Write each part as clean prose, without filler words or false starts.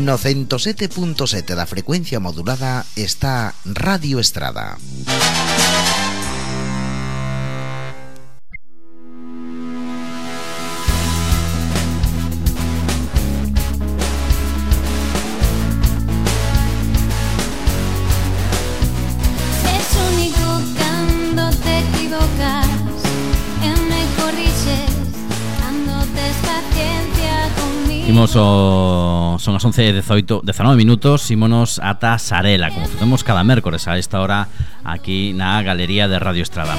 No 107.7 da frecuencia modulada está Radio Estrada. Son as 11:19 minutos. Ímonos ata Sarela, como facemos cada mércores a esta hora aquí na Galería de Radio Estrada.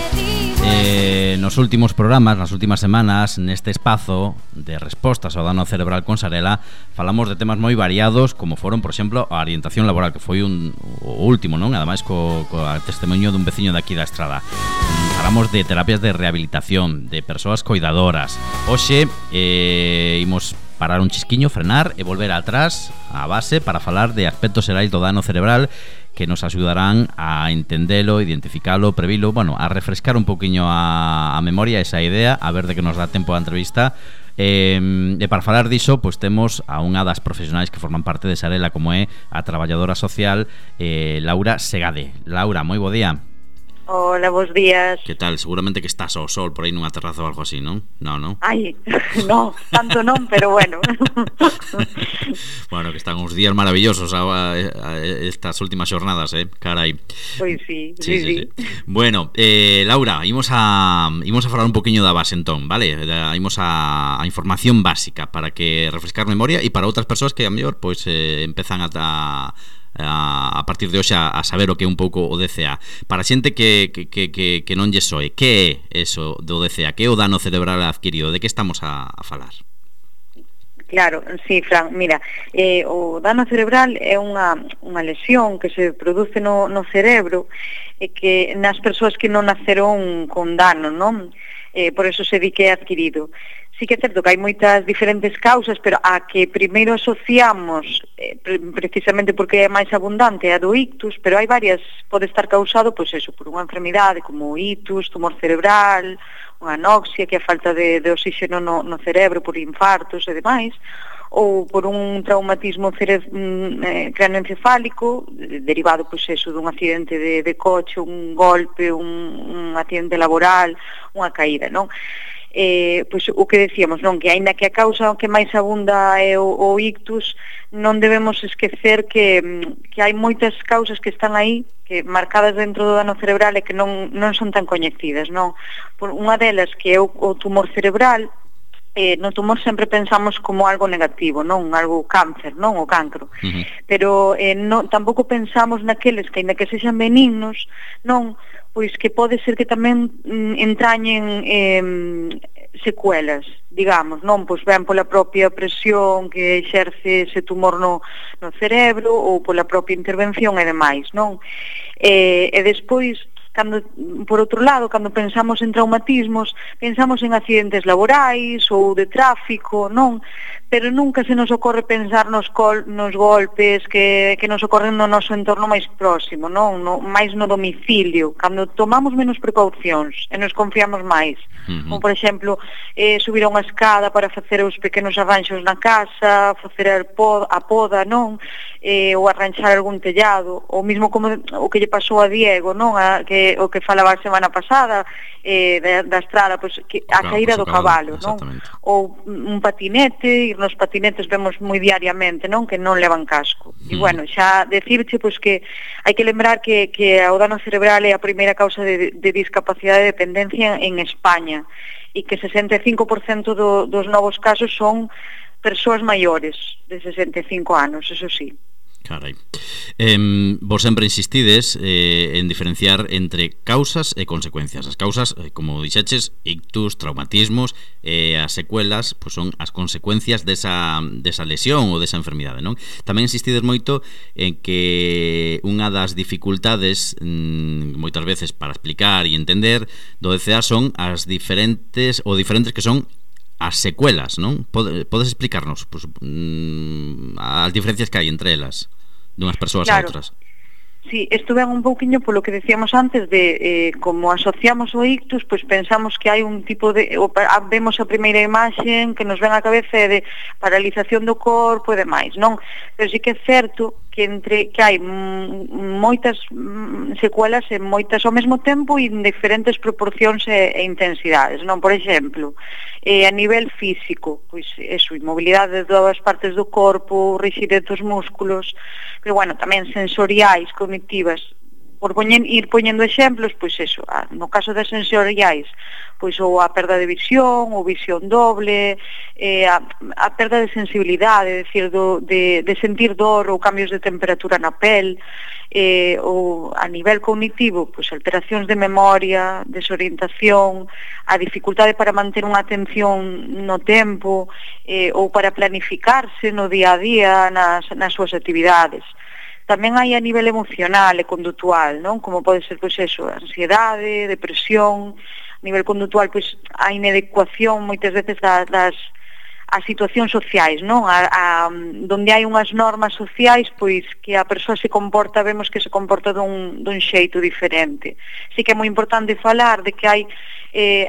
Nos últimos programas, nas últimas semanas, neste espazo de respostas ao dano cerebral con Sarela, falamos de temas moi variados, como foron, por exemplo, a orientación laboral, que foi o último, non? Ademais, co testemunho dun veciño de aquí da Estrada. Falamos de terapias de rehabilitación, de persoas coidadoras. Hoxe imos parar un chisquiño, frenar e volver atrás á base para falar de aspectos xerais do dano cerebral que nos axudarán a entendelo, identificalo, previlo, bueno, a refrescar un poquinho a memoria, esa idea, a ver de que nos dá tempo a entrevista. E para falar diso, pois temos a unha das profesionais que forman parte de Sarela, como é a traballadora social Laura Segade. Laura, moi bo día. Hola, bons días. Que tal? Seguramente que estás ao sol por aí nunha terraza ou algo así, non? Non? Ai, no, tanto non, pero bueno. Bueno, que están uns días maravillosos estas últimas xornadas, carai. Pois sí. Bueno, Laura, imos a falar un poquinho da base entón, vale? Imos a información básica para que refrescar memoria e para outras persoas que a mellor pois empezan a partir de hoxe a saber o que é un pouco o DCA. Para xente que non lle soe, que é eso do DCA? Que é o dano cerebral adquirido? De que estamos a falar? Claro, sí, Fran, mira, o dano cerebral é unha lesión que se produce no cerebro e que nas persoas que non naceron con dano, non? Por eso se di que é adquirido. Sí que é certo que hai moitas diferentes causas, pero a que primeiro asociamos, precisamente porque é máis abundante, a do ictus, pero hai varias, pode estar causado, pois eso, por unha enfermidade como ictus, tumor cerebral, unha anoxia, que é a falta de oxígeno no cerebro por infartos e demais, ou por un traumatismo craneoencefálico derivado, pois eso, dun accidente de coche, un golpe, un accidente laboral, unha caída, non? Pois o que decíamos, non, que aínda que a causa que máis abunda é o ictus, non debemos esquecer que hai moitas causas que están aí, que marcadas dentro do dano cerebral e que non son tan coñecidas, non? Por unha delas, que é o tumor cerebral, no tumor sempre pensamos como algo negativo, non? Algo cáncer, non? O cancro. Pero tampouco pensamos naqueles que, aínda que sexan benignos, non? Pois que pode ser que tamén entrañen secuelas, digamos, non? Pois ben pola propia presión que exerce ese tumor no cerebro ou pola propia intervención e demais, non? E despois, por outro lado, cando pensamos en traumatismos, pensamos en accidentes laborais ou de tráfico, non? Pero nunca se nos ocorre pensar nos golpes que nos ocorren no noso entorno máis próximo, non? Máis no domicilio, cando tomamos menos precaucións e nos confiamos máis. Como, por exemplo, subir a unha escada para facer os pequenos arranxos na casa, facer a poda, non? Ou arranxar algún tellado, ou mesmo como o que lle pasou a Diego, non? O que falaba a semana pasada da estrada, pois, a caída do cabalo, non? Ou un patinete, ir nos patinetes vemos moi diariamente, non? Que non levan casco. E bueno, xa decirche pois que hai que lembrar que o dano cerebral é a primeira causa de discapacidade e dependencia en España e que 65% dos novos casos son persoas maiores de 65 anos, eso sí. Carai. Vos sempre insistides en diferenciar entre causas e consecuencias. As causas, como dixeches, ictus, traumatismos, as secuelas, pois son as consecuencias desa lesión ou desa enfermidade, non? Tamén insistides moito en que unha das dificultades moitas veces para explicar e entender do DCA son as diferentes que son as secuelas, non? Podes explicarnos as diferencias que hai entre elas dunhas persoas a outras? Sí, isto ven un pouquiño polo que decíamos antes de como asociamos o ictus, pois pensamos que hai un tipo de vemos a primeira imaxe que nos ven á cabeza de paralización do corpo e demais, non? Pero sí que é certo que hai moitas secuelas e moitas ao mesmo tempo e en diferentes proporcións e intensidades, non? Por exemplo, a nivel físico, pois eso, inmobilidade de todas as partes do corpo, rigidez dos músculos, pero bueno, tamén sensoriais, cognitivas. Por ir poñendo exemplos, pois eso, no caso das sensoriais, pois ou a perda de visión, ou visión doble, a perda de sensibilidade, é dicir, de sentir dor ou cambios de temperatura na pel, ou a nivel cognitivo, pois alteracións de memoria, desorientación, a dificultade para manter unha atención no tempo, ou para planificarse no día a día nas súas actividades. Tamén hai a nivel emocional e conductual, non? Como pode ser, pois eso, ansiedade, depresión, a nivel conductual, pois a inadecuación moitas veces das situacións sociais, non? Donde hai unhas normas sociais, pois que a persoa se comporta, vemos que se comporta dun xeito diferente. Sí que é moi importante falar de que hai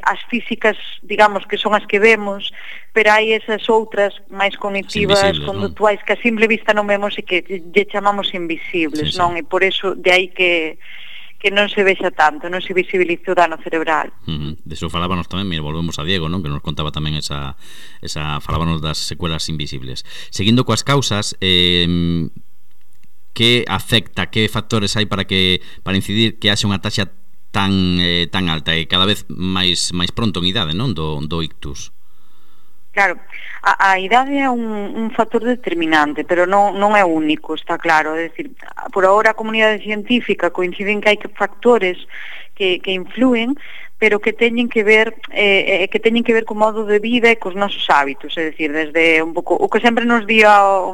as físicas, digamos, que son as que vemos, pero hai esas outras máis cognitivas, conductuais, que a simple vista non vemos e que lle chamamos invisibles, non? E por eso, de aí que non se vexa tanto, non se visibiliza o dano cerebral. De eso falábanos tamén, volvemos a Diego, non? Que nos contaba tamén falábanos das secuelas invisibles. Seguindo coas causas, que afecta, que factores hai para incidir que haxa unha taxa tan alta e cada vez máis pronto en idade, non? Do ictus. Claro, a idade é un factor determinante, pero non é único, está claro. É dicir, por agora a comunidade científica coinciden que hai factores que influen, pero que teñen que ver co modo de vida e cos nosos hábitos, é dicir, desde un pouco o que sempre nos di o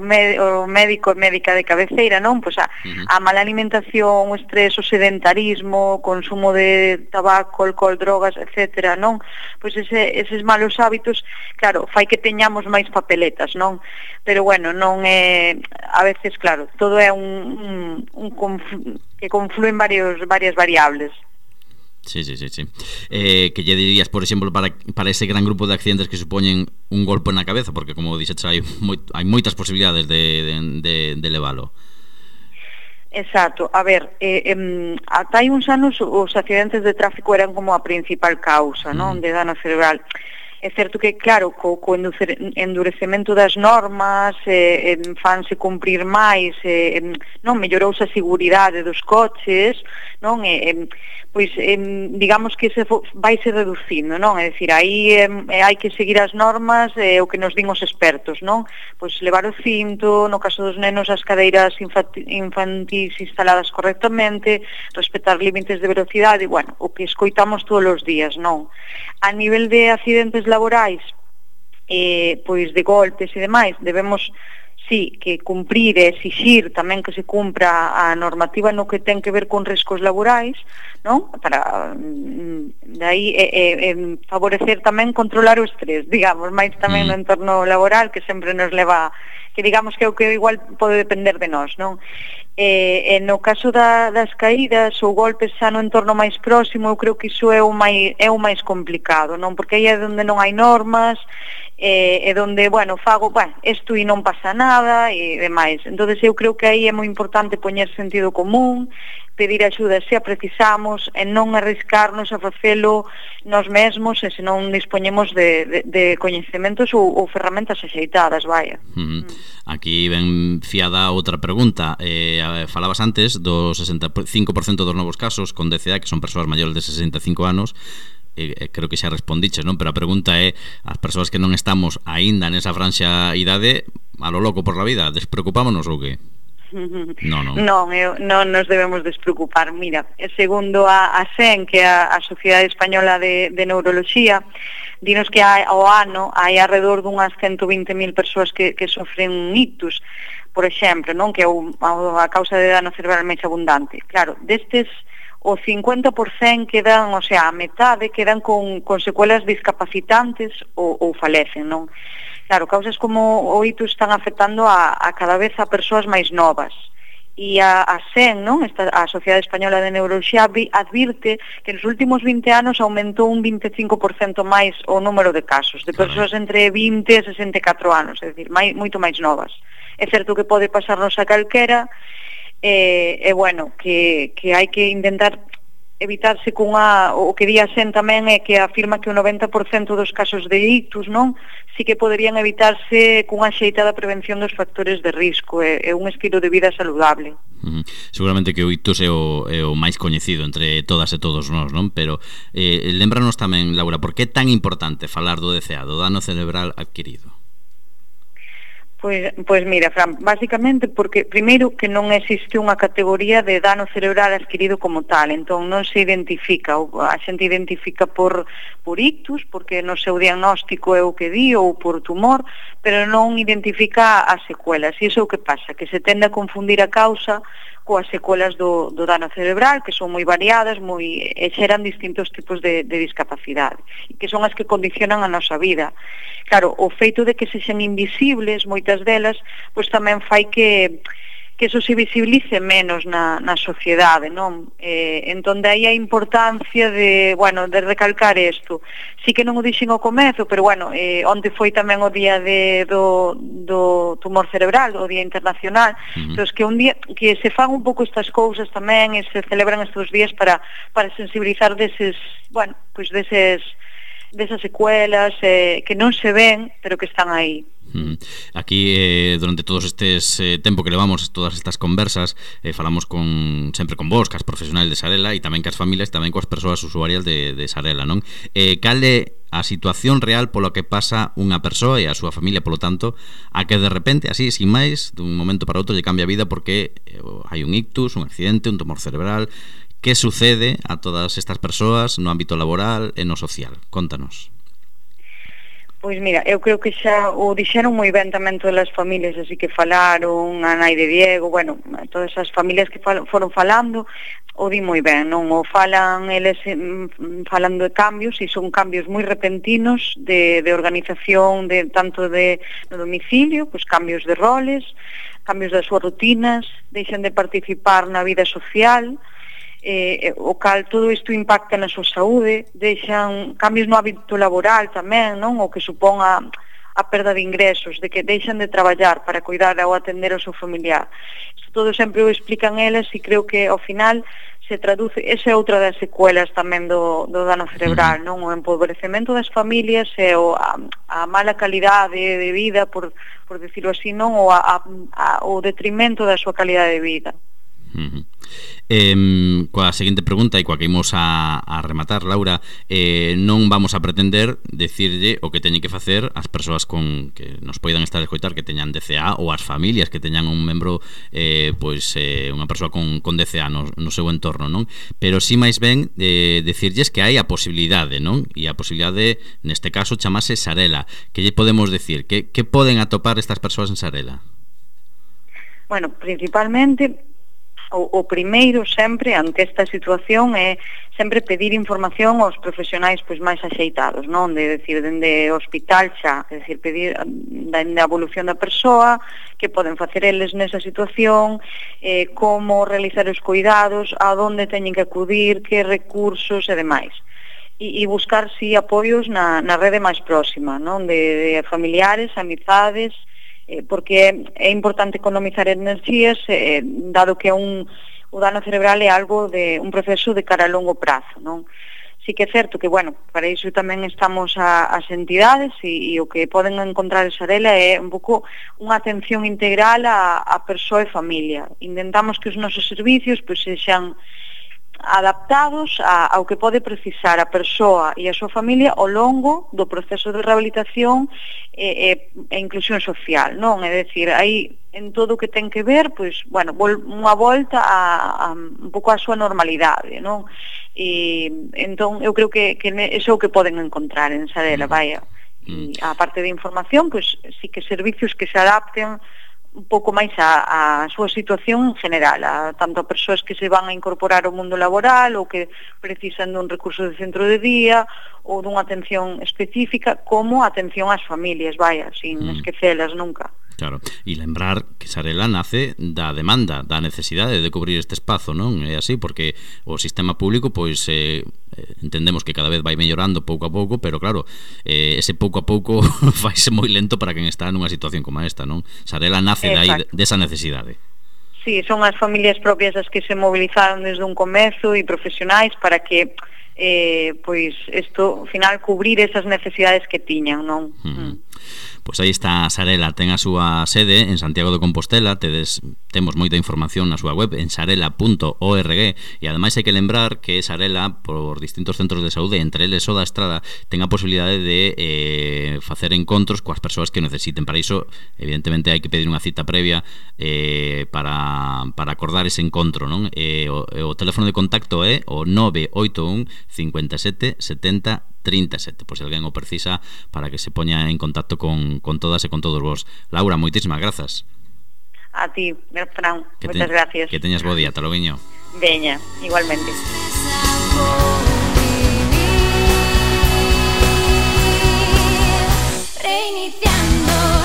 médico e médica de cabeceira, non? Pois a mala alimentación, o estrés, o sedentarismo, o consumo de tabaco, alcohol, drogas, etcétera, non? Pois eses malos hábitos, claro, fai que teñamos máis papeletas, non? Pero bueno, non é, a veces, claro, todo é que confluen varias variables. Sí. Que lle dirías, por exemplo, para ese gran grupo de accidentes que supoñen un golpe na cabeza, porque como dixetes hai moitas posibilidades de levalo. Exacto, a ver, ata hai uns anos os accidentes de tráfico eran como a principal causa, non, de dano cerebral. É certo que, claro, co endurecemento das normas, fanse cumprir máis, non, mellorouse a seguridade dos coches, non, pois digamos que vaise reducindo, non? É dicir, aí hai que seguir as normas, o que nos din os expertos, non? Pois levar o cinto, no caso dos nenos as cadeiras infantís instaladas correctamente, respetar límites de velocidade, bueno, o que escoitamos todos os días, non? A nivel de accidentes laborais, pois de golpes e demais, debemos sí, que cumprir e exixir tamén que se cumpra a normativa no que ten que ver con riscos laborais, non? Para de aí favorecer tamén controlar o estrés, digamos, máis tamén no entorno laboral, que sempre nos leva, que digamos que é o que igual pode depender de nós, non? No caso das caídas ou golpes xa no entorno máis próximo, eu creo que iso é o máis complicado, non? Porque aí é onde non hai normas, e donde, bueno, fago, isto e non pasa nada e demais. Entonces eu creo que aí é moi importante poñer sentido común, pedir axuda se a precisamos e non arriscarnos a facelo nós mesmos e se non dispoñemos de coñecementos ou ferramentas axeitadas, vaya. Aquí ven fiada outra pregunta. Falabas antes do 65% dos novos casos con DCA, que son persoas maiores de 65 anos. Creo que xa respondiches, non? Pero a pregunta é, as persoas que non estamos aínda nesa franxa idade, a lo loco por la vida, despreocupámonos ou que? Non nos debemos despreocupar. Mira, segundo a SEN, que é a Sociedade Española de Neuroloxía, dinos que ao ano hai alrededor dunhas 120.000 persoas que sofren un ictus, por exemplo, non? Que é a causa de dano cerebral máis abundante. Claro, destes o 50% quedan, o sea, a metade quedan con secuelas discapacitantes ou falecen, non? Claro, causas como o ictus están afectando a cada vez a persoas máis novas E a SEN, non? A Sociedade Española de Neuroloxía, advirte que nos últimos 20 anos aumentou un 25% máis o número de casos de persoas entre 20 e 64 anos, é dicir, moito máis novas. É certo que pode pasarnos a calquera, bueno, que hai que intentar evitarse o que di a SEN tamén é que afirma que o 90% dos casos de ictus, non, sí que poderían evitarse cunha xeitada prevención dos factores de risco e un estilo de vida saludable. Seguramente que o ictus é o máis coñecido entre todas e todos nós, non? Pero lembranos tamén, Laura, por que é tan importante falar do DCA, do dano cerebral adquirido? Pois mira, Fran, basicamente porque primeiro que non existe unha categoría de dano cerebral adquirido como tal, entón non se identifica, a xente identifica por ictus, porque no seu diagnóstico é o que di, ou por tumor, pero non identifica as secuelas, e iso é o que pasa, que se tende a confundir a causa coas secuelas do dano cerebral, que son moi variadas, e xeran distintos tipos de discapacidade, e que son as que condicionan a nosa vida. Claro, o feito de que sexan invisibles, moitas delas, pois tamén fai que eso se visibilice menos na sociedade, non? Entón, de aí a importancia de recalcar isto. Sí que non o dixen ao comezo, pero onte foi tamén o día do tumor cerebral, o día internacional, entón, que un día que se fan un pouco estas cousas tamén e se celebran estes días para sensibilizar desas secuelas que non se ven, pero que están aí. Aquí, durante todos estes tempo que levamos, todas estas conversas, falamos sempre con vos, cas profesionais de Sarela, e tamén cas familias, tamén coas persoas usuarias de Sarela, non? Cal é a situación real polo que pasa unha persoa e a súa familia, polo tanto, a que de repente, así, sin máis, dun momento para outro, lle cambia a vida porque hai un ictus, un accidente, un tumor cerebral. Que sucede a todas estas persoas no ámbito laboral e no social? Contanos. Pois mira, eu creo que xa o dixeron moi ben tamén todas as familias, así que falaron, a nai de Diego, todas as familias que foron falando, o di moi ben, non? O falan eles falando de cambios, e son cambios moi repentinos de organización, tanto no domicilio, pois cambios de roles, cambios das súas rutinas, deixan de participar na vida social, o cal todo isto impacta na súa saúde, deixan cambios no hábito laboral tamén, non? O que supón a perda de ingresos, de que deixan de traballar para cuidar ou atender ao seu familiar. Isto todo sempre o explican elas, e creo que ao final se traduce, esa é outra das secuelas tamén do dano cerebral, non? O empobrecemento das familias e a mala calidade de vida, por decirlo así, non? O detrimento da súa calidade de vida. Coa seguinte pregunta e coa que imos a rematar, Laura, non vamos a pretender decirlle o que teñen que facer as persoas que nos poidan estar a escoitar, que teñan DCA, ou as familias que teñan un membro, unha persoa con DCA no seu entorno, non? Pero si máis ben decirlles que hai a posibilidade, non? E a posibilidade, neste caso, chamase Sarela. Que lle podemos decir? Que poden atopar estas persoas en Sarela? Bueno, principalmente o primeiro sempre ante esta situación é sempre pedir información aos profesionais máis axeitados, non? De decir, dende o hospital xa, é dicir, pedir da evolución da persoa, que poden facer eles nesa situación, como realizar os cuidados, a onde teñen que acudir, que recursos e demais. E buscar, si, apoios na rede máis próxima, non? De familiares, amizades, porque é importante economizar enerxías, dado que o dano cerebral é algo de un proceso de cara a longo prazo, non? Sí que é certo que, para iso tamén estamos as entidades, e o que poden encontrar en Sarela é un pouco unha atención integral a persoa e familia. Intentamos que os nosos servicios sexan adaptados ao que pode precisar a persoa e a súa familia ao longo do proceso de rehabilitación e inclusión social, non? É dicir, aí en todo o que ten que ver, unha volta un pouco a súa normalidade, non? E entón eu creo que iso é o que poden encontrar en Sarela, E a parte de información, sí que servicios que se adapten un pouco máis a súa situación en general, tanto a persoas que se van a incorporar ao mundo laboral ou que precisan dun recurso de centro de día ou dunha atención específica, como a atención ás familias, sin esquecelas nunca. Claro, e lembrar que Sarela nace da demanda, da necesidade de cubrir este espazo, non? É así, porque o sistema público, pois, entendemos que cada vez vai mellorando pouco a pouco, pero claro, ese pouco a pouco faise moi lento para quen está nunha situación como esta, non? Sarela nace dai desa necesidade. Sí, son as familias propias as que se movilizaron desde un comezo e profesionais para que pois isto, ao final, cubrir esas necesidades que tiñan, non? Pois aí está Sarela, ten a súa sede en Santiago de Compostela, temos moita información na súa web en sarela.org e ademais hai que lembrar que Sarela, por distintos centros de saúde, entre eles o da Estrada, ten a posibilidade de facer encontros coas persoas que necesiten. Para iso, evidentemente, hai que pedir unha cita previa para acordar ese encontro, non? O teléfono de contacto é o 981 57 70 37, por se alguén o precisa, para que se poña en contacto con todas e con todos vos. Laura, moitísimas grazas. A ti, Fran, moitas gracias. Que teñas bo día, ata loguiño. Veña, igualmente. Reiniciando.